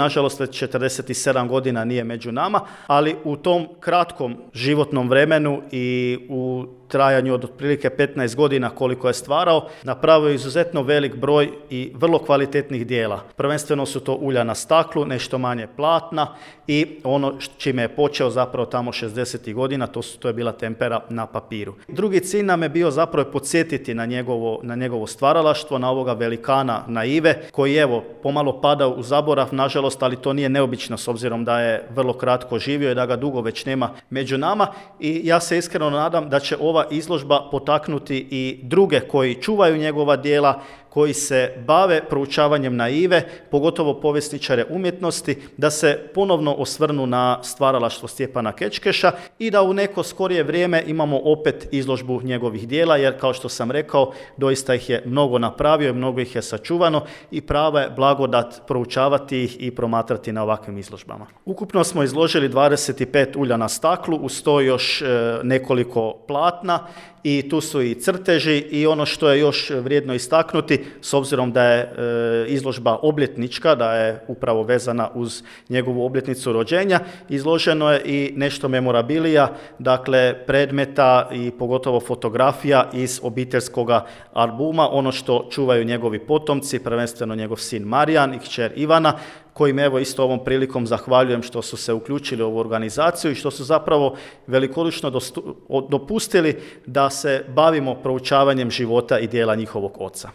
Nažalost, već 47 godina nije među nama, ali u tom kratkom životnom vremenu i u trajanju od otprilike 15 godina koliko je stvarao, napravio izuzetno velik broj i vrlo kvalitetnih dijela. Prvenstveno su to ulja na staklu, nešto manje platna i ono čime je počeo zapravo tamo 60. godina, to je bila tempera na papiru. Drugi cilj nam je bio zapravo podsjetiti na njegovo stvaralaštvo, na ovoga velikana naive, koji evo pomalo pada u zaborav, nažalost, ali to nije neobično s obzirom da je vrlo kratko živio i da ga dugo već nema među nama, i ja se iskreno nadam da će ova izložba potaknuti i druge koji čuvaju njegova djela, koji se bave proučavanjem naive, pogotovo povjesničare umjetnosti, da se ponovno osvrnu na stvaralaštvo Stjepana Kečkeša i da u neko skorije vrijeme imamo opet izložbu njegovih djela, jer kao što sam rekao, doista ih je mnogo napravio i mnogo ih je sačuvano i prava je blagodat proučavati ih i promatrati na ovakvim izložbama. Ukupno smo izložili 25 ulja na staklu, uz to još nekoliko platna, i tu su i crteži i ono što je još vrijedno istaknuti, s obzirom da je izložba obljetnička, da je upravo vezana uz njegovu obljetnicu rođenja, izloženo je i nešto memorabilija, dakle predmeta i pogotovo fotografija iz obiteljskog albuma, ono što čuvaju njegovi potomci, prvenstveno njegov sin Marijan i kćer Ivana, kojim evo isto ovom prilikom zahvaljujem što su se uključili u ovu organizaciju i što su zapravo velikodušno dopustili da se bavimo proučavanjem života i djela njihovog oca.